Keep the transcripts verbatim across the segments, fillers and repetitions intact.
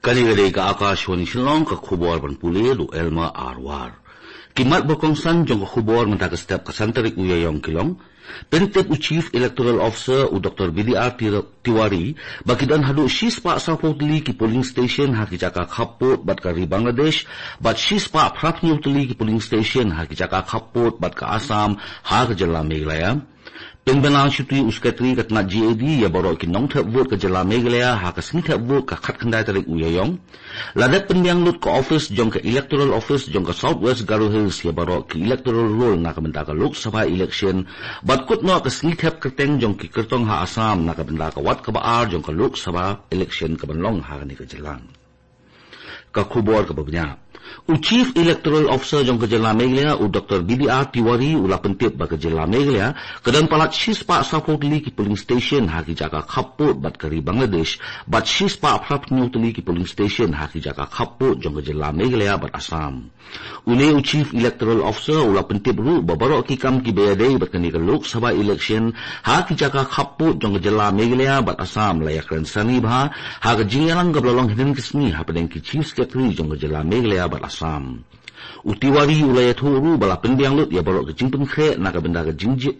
Kane ka dei ka Akashvani Shillong, ka khubor ban pule da u Elma Arwar. Ki mat ba kongsan jong ka khubor mynta ka step ka san tarik u Ïaïong ki long: Pyntip u Chief Electoral Officer u Doctor B D R Tir-, Tiwari ba ki don haduh shispah sawphew tylli ki polling station ha ki jaka khappud bad ka ri Bangladesh, bad shispah phraphew hynñiew tylli ki polling station ha ki jaka khappud bad ka Assam ha ka jylla Meghalaya. Pynbna shuti u Secretary ka tnat G A D ïa baroh ki nongthep vote ka jylla Meghalaya ha ka sngi thep vote ka khatkhyndai tarik u Ïaïong. La dep pynbiang lut ka office jong ka Electoral Office jong ka South West Garo Hills ïa baroh ki electoral roll na ka bynta ka Lok Sabha election, bad kut noh ka sngi thep kyrteng jong ki kyrtong ha Assam na ka bynta ka wat kaba ar jong ka Lok Sabha election kaban long ha kane ka jylla. Ka khubor kaba bniah. U Chief Electoral Officer jong ka jylla Meghalaya u Doctor B D R Tiwari u la pyntip ba ka jylla Meghalaya ka don palat shispah sawphew tylli ki polling station ha ki jaka khappud bad ka ri Bangladesh, bad shispah phraphew hynñiew tylli ki polling station ha ki jaka khappud jong ka jylla Meghalaya bad Assam. Une u Chief Electoral Officer u la pyntip ruh ba baroh ki kam kiba ïadei bad kane ka Lok Sabha election ha ki jaka khappud jong ka jylla Meghalaya bad Assam la ïakren sani bha ha ka jingïalang kaba la long hynnin ka sngi hapdeng ki Chief Secretary jong ka jylla Meghalaya bad Assam. U Tiwari u la ïathuh ruh ba la pynbiang lut ïa baroh ka jingpynkhreh na ka bynta ka jingji-,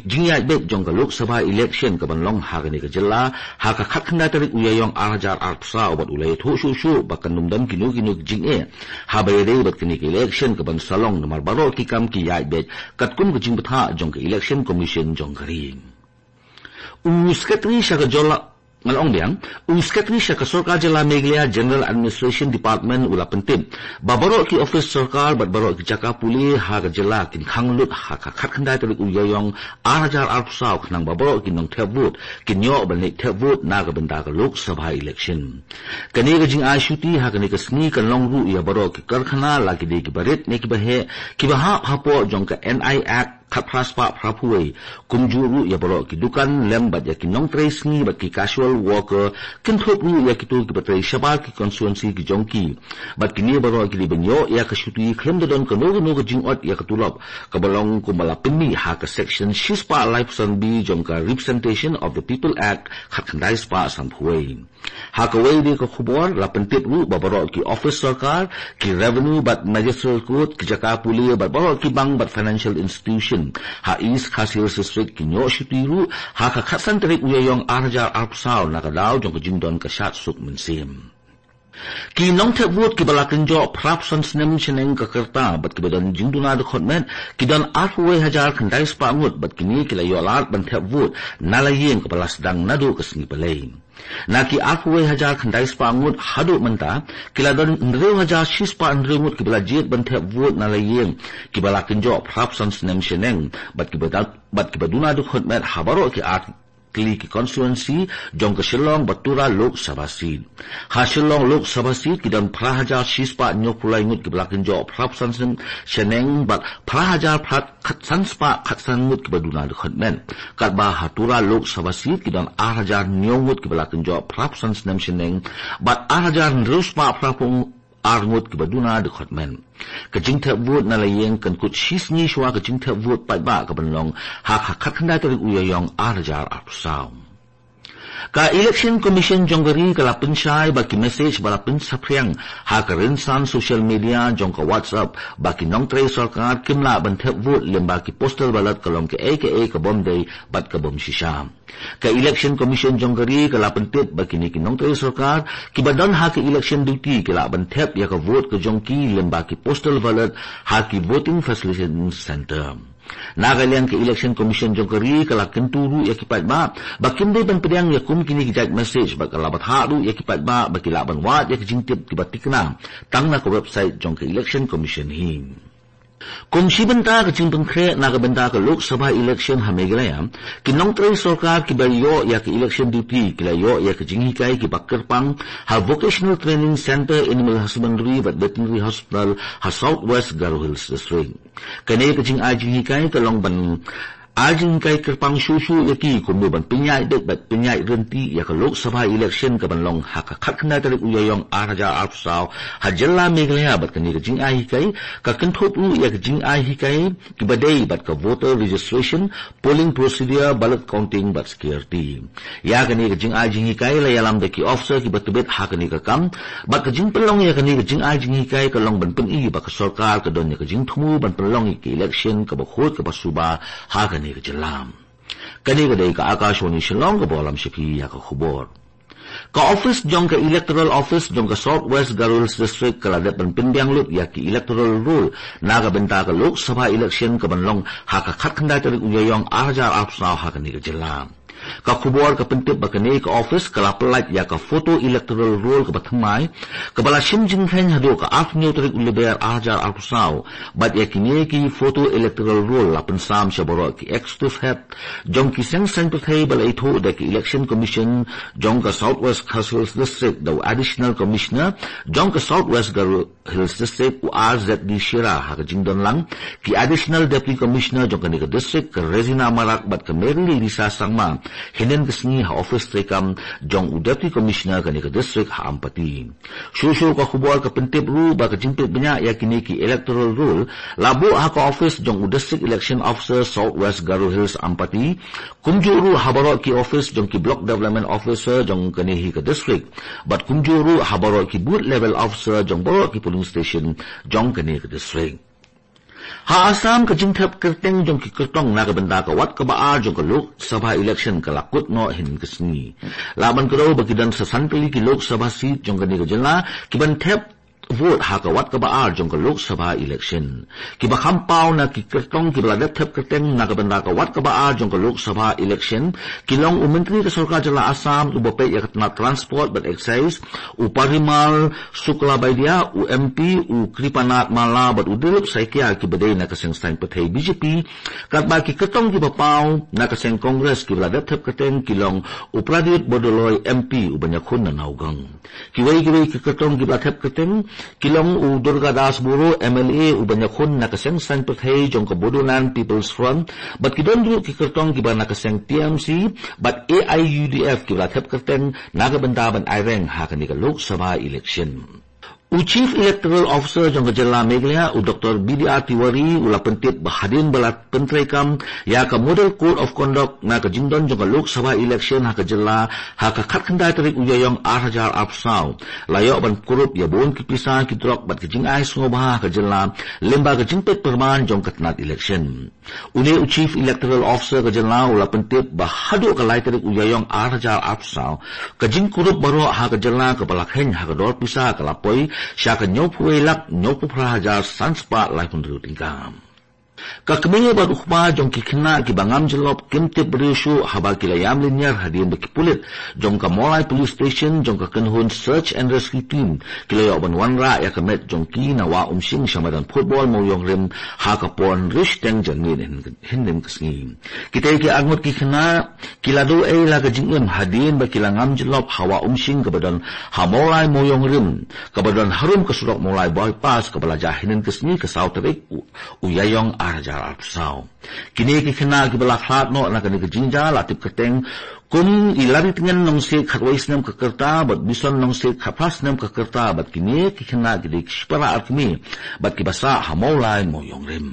jingïaid beit jong ka Lok Sabha election kaban long ha kane ka jylla ha ka khatkhyndai tarik u Ïaïong ar hajar arphew saw, bad u la ïathuh shuh shuh ba kan ym don kino kino ki jingeh haba ïadei bad kane ka election kaban sa long, namar baroh ki kam ki ïaid beit katkum ka jingbthah jong ka Election Commission jong ka ri. U Secretary sha ka jylla, ngan ong biang, u Secretary sha ka Sorkar Jylla Meghalaya General Administration Department u la pyntip ba baroh ki office sorkar bad baroh ki jaka pule ha ka jylla kin khang lut ha ka khatkhyndai tarik u Ïaïong ar hajar arphew saw khnang ba baroh ki nongthep vote kin ïoh ban leit thep vote na ka bynta ka Lok Sabha election. Kane ka jingai shuti ha kane ka sngi kan long ruh ïa baroh ki karkhana, la ki dei kiba rit ne kiba heh, kiba hap hapoh jong ka N I Act khatphra spah phraphew wei, kumjuh ruh ïa baroh ki dukan lem bad ïa ki nongtrei sngi bad ki casual worker, kynthup ruh ïa kito kiba trei shabar ki constituency ki jong ki. Bad kine baroh ki dei ban ïoh ïa ka shuti khlem da don kano kano ka jingot ïa ka tulop, kaba long kumba la pynmih ha ka section shispah laiphew san B jong ka Representation of the People Act khatkhyndai spah sanphew wei. Ha kawei de ka khubor la pyntip ruh ba baroh ki office sorkar, ki revenue bad magistrate court, ki jaka pule bad baroh ki bank bad financial institution ha East Khasi Hills District kin ïoh shuti ruh ha ka khatsan tarik u Ïaïong ar hajar arphew saw na ka daw jong ka jingdon ka shad suk mynsiem. Ki nongthep vote kiba la kynjoh phraphew san snem shaneng ka rta bad kiba don jingduna dkhot met ki don arphew wei hajar khyndai spah ngut, bad kine ki la ïoh lad ban thep vote na la ïing kaba la sdang naduh ka sngi Palei. Na ki arphew wei hajar khyndai spah ngut haduh mynta, ki la don hynriew hajar shispah hynriew ngut kiba la jied ban thep vote na la ïing kiba la kynjoh phraphew san snem shaneng, bad kiba da-, bad kiba duna dkhot met ha baroh ki ar tylli ki constituency jong ka Shillong bad Tura Lok Sabha seat. Ha Shillong Lok Sabha seat ki don phra hajar shispah hynñiewphew lai ngut kiba la kynjoh phraphew san snem shaneng bad phra hajar phra khatsan spah khatsan ngut kiba duna dkhot met. Katba ha Tura Lok Sabha seat ki don ar hajar hynñiew ngut kiba la kynjoh phraphew san snem shaneng bad ar hajar hynriew spah phraphew ar ngut kiba duna dkhot met. Ka jingthep vote na la ïing kan kut shisngi shuwa ka jingthep vote paidbah kaban long ha ka khatkhyndai tarik u Ïaïong ar hajar arphew saw. Ka Election Commission jong ka ri ka la pynshai ba ki message ba la pynsaphriang ha ka rynsan social media jong ka WhatsApp ba ki nongtrei sorkar kim lah ban thep vote lyngba ki postal ballot ka long kaei kaei ka bym dei bad ka bym shisha. Ka Election Commission jong ka ri ka la pyntip ba kine ki nongtrei sorkar kiba don ha ka election duty ki lah ban thep ïa ka vote ka jong ki lyngba ki postal ballot ha ki voting facilitation center. Na ka liang ka Election Commission jong ka ri ka la kyntu ruh ïa ki paidbah ba kim dei ban pdiang ïa kum kine ki jait message, bad ka la bthah ruh ïa ki paidbah ba ki lah ban wad ïa ki jingtip kiba tikna tang na ka website jong ka Election Commission hi. Kum shi bynta ka jingpynkhreh na ka bynta ka Lok Sabha election ha Meghalaya, ki nongtrei sorkar kiba ïoh ïa ka election duty ki la ïoh ïa ka jinghikai kiba kyrpang ha Vocational Training Center, Animal Husbandry bad Veterinary Hospital ha South West Garo Hills District. Kane ka jingai jinghikai ka long ban ai jinghikai kyrpang shuh shuh ïa ki kumno ban pynïaid beit bad pynïaid ryntih ïa ka Lok Sabha election kaban long ha ka khatkhyndai tarik u Ïaïong ar hajar arphew saw ha jylla Meghalaya, bad kane ka jingai hikai ka kynthup ruh ïa ka jingai hikai kiba dei bad ka voter registration, polling procedure, ballot counting bad security. Ïa kane ka jingai jinghikai la ïalam da ki officer kiba tbit ha kane ka kam, bad ka jingpynlong ïa kane ka jingai jinghikai ka long ban pyni ba ka sorkar ka don ïa ka jingthmu ban pynlong ïa ka election kaba khuid kaba suba ha kane ka jylla. Kane ka dei ka Akashvani Shillong kaba lam sha phi ïa ka khubor. Ka office jong ka Electoral Office jong ka South West Garo Hills District ka la dep ban pynbiang lut ïa ki electoral roll na ka bynta ka Lok Sabha election kaban long ha ka khatkhyndai tarik u Ïaïong ar hajar arphew saw ha kane ka jylla. Ka khubor ka pyntip ba kane ka office ka la pyllait ïa ka photo electoral roll kaba thymmai, kaba la shim jingkheiñ haduh ka arphew hynñiew tarik u Lber ar hajar arphew saw, bad ïa kine ki photo electoral roll la pynsam sha baroh ki executive head jong ki seng saiñ pyrthei ba la ithuh da ki Election Commission jong ka South West Khasi Hills District da u Additional Commissioner jong ka South West Garo Hills District, u R Z D Shira, ha ka jingdon lang ki Additional Deputy Commissioner jong kane ka district, ka Regina Marak bad ka Mary Lisa Sangma, hynnin ka sngi ha office treikam jong u Deputy Commissioner kane ka district ha Ampati. Shuh shuh ka khubor ka pyntip ruh ba ka jingpeit bniah ïa kine ki electoral roll la buh ha ka office jong u District Election Officer South West Garo Hills Ampati, kumjuh ruh ha baroh ki office jong ki Block Development Officer jong kane hi ka district, bad kumjuh ruh ha baroh ki Booth Level Officer jong baroh ki polling station jong kane ka district. Ha Assam, ka jingthep kyrteng jong ki kyrtong na ka bynta ka wat kaba ar jong ka Lok Sabha election ka la kut noh hynnin ka sngi. La ban kdew ba ki don sa san tylli ki Lok Sabha seat jong kane ka jylla kiban thep vote ha ka wat kaba ar jong ka Lok Sabha election. Kiba kham paw na ki kyrtong kiba la dep thep kyrteng na ka bynta ka wat kaba ar jong ka Lok Sabha election ki long u Myntri ka Sorkar Jylla Assam uba peit ïa ka tnat Transport bad Excise, u Parimal Suklabaidya, u M P u Kripanath Malla bad u Dilip Saikia kiba dei na ka seng saiñ pyrthei B J P, katba ki kyrtong kiba paw na ka seng Congress kiba la dep thep kyrteng ki long u Pradyot Bordoloi M P uban ïakhun na Nowgong. Kiwei kiwei ki kyrtong kiba la thep kyrteng ki long u Durga Das Boro M L A uban ïakhun na ka seng saiñ pyrthei jong ka Bodoland People's Front, bad ki don ruh ki kyrtong kiba na ka seng T M C bad A I U D F kiba la thep kyrteng na ka bynta ban aireng ha kane ka Lok Sabha election. U Chief Electoral Officer jong ka jylla Meghalaya, u Doctor B D R Tiwari, u la pyntip ba hadien ba la pyntreikam ïa ka Model Code of Conduct na ka jingdon jong ka Lok Sabha election ha ka jylla ha ka khatkhyndai tarik u Ïaïong ar hajar arphew saw, la ïoh ban kurup ïa bun ki pisa, ki drok bad ki jingai sngewbha ha ka jylla lyngba ka jingpeit pyrman jong ka tnat election. Une u Chief Electoral Officer ka jylla u la pyntip ba haduh ka lai tarik u Ïaïong ar hajar arphew saw, ka jingkurup baroh ha ka jylla kaba la kheiñ ha ka dor pisa ka la poi sha ka hynñiewphew wei lak hynñiewphew phra hajar san spah laiphew hynriew tyngka. Ka kmie bad u kpa jong ki khynnah kiba ngam jyllop kim tip briew shuh haba ki la ïam lynñiar hadien ba ki pulit jong ka Mawlai Police Station jong ka kynhun Search and Rescue Team ki la ïoh ban wanrah ïa ka met jong ki na Wah Umshing sha madan football Mawïong Rim ha ka por hynriew shiteng janmiet hynnin ka sngi. Kitei ki arngut ki khynnah ki la duh ei la ka jingim hadien ba ki la ngam jyllop ha Wah Umshing kaba don ha Mawlai Mawïong Rim, kaba don harum ka surok Mawlai Bypass, kaba la jia hynnin ka sngi ka saw tarik u, u Ïaïong ar hajar arphew saw. Kine ki khynnah kiba la khlad noh na kane ka jingjia la tip kyrteng kum i Laritngen Nongsiej, khatwei snem ka rta, bad Bison Nongsiej, khatphra snem ka rta, bad kine ki khynnah ki dei ki shipara ar kmie bad kiba sah ha Mawlai Mawïong Rim.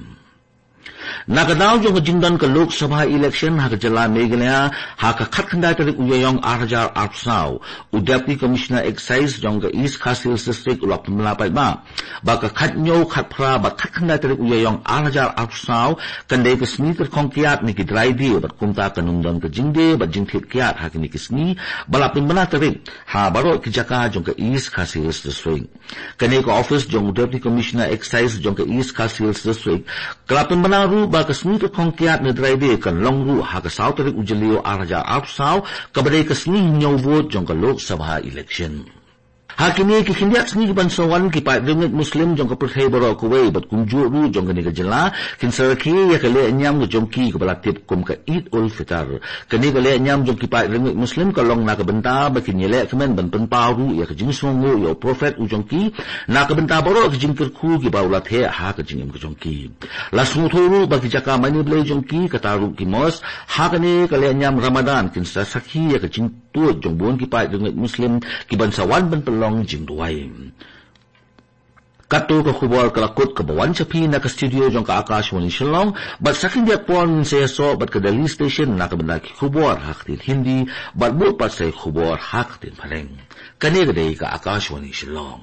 Na ka daw jong ka jingdon ka Lok Sabha election ha ka jylla Meghalaya ha ka khatkhyndai tarik u Ïaïong ar hajar arphew saw, u Deputy Commissioner Excise jong ka East Khasi Hills District u la pynbna paidbah ba ka khathynñiew, khatphra bad khatkhyndai tarik u Ïaïong ar hajar arphew saw kan dei ka sngi kyrkhong kiad ne ki dry day, bad kumta kan ym don ka jingdie bad jingthied kiad ha kine ki sngi ba la pynbna tarik ha baroh ki jaka jong ka East Khasi Hills District. Kane ka office jong u Deputy Commissioner Excise jong ka East Khasi Hills District ka la pynbna ruh ba ka sngi kyrkhong kiad ne dry day kan long ruh ha ka saw tarik u Jylliew ar hajar arphew saw, kaba dei ka sngi hynñiew vote jong ka Lok Sabha election. Ha kine ki khyndiat sngi ki ban sa wan, ki paid riewngeit Muslim jong ka pyrthei baroh kawei bad kumjuh ruh jong kane ka jylla kin sa rakhe ïa ka lehniam ka jong ki kaba la tip kum ka Eid ul Fitr. Kane ka lehniam jong ki paid riewngeit Muslim ka long na ka bynta ba kin ïaleh kmen ban pynpaw ruh ïa ka jingsngewnguh ïa u Prophet u jong ki, na ka bynta baroh ka jingkyrkhu kiba u la theh ha ka jingim ka jong ki. La sngewthuh ruh ba ki jaka mane Blei jong ki, kata ruh ki mosque, ha kane ka lehniam Ramadan kin sa sakhi ïa ka jingtuid jong bun ki paid riewngeit Muslim ki ban sa wan ban pynlong jingduwai. Kato ka khubor ka la kut kaba wan sha phi na ka studio jong ka Akashvani Shillong, bad sa khyndiat por ngin sa ïasoh bad ka Delhi Station na ka bynta ki khubor ha ka ktien Hindi, bad bud pat sa ki khubor ha ka ktien Phareng. Kane ka dei ka Akashvani Shillong.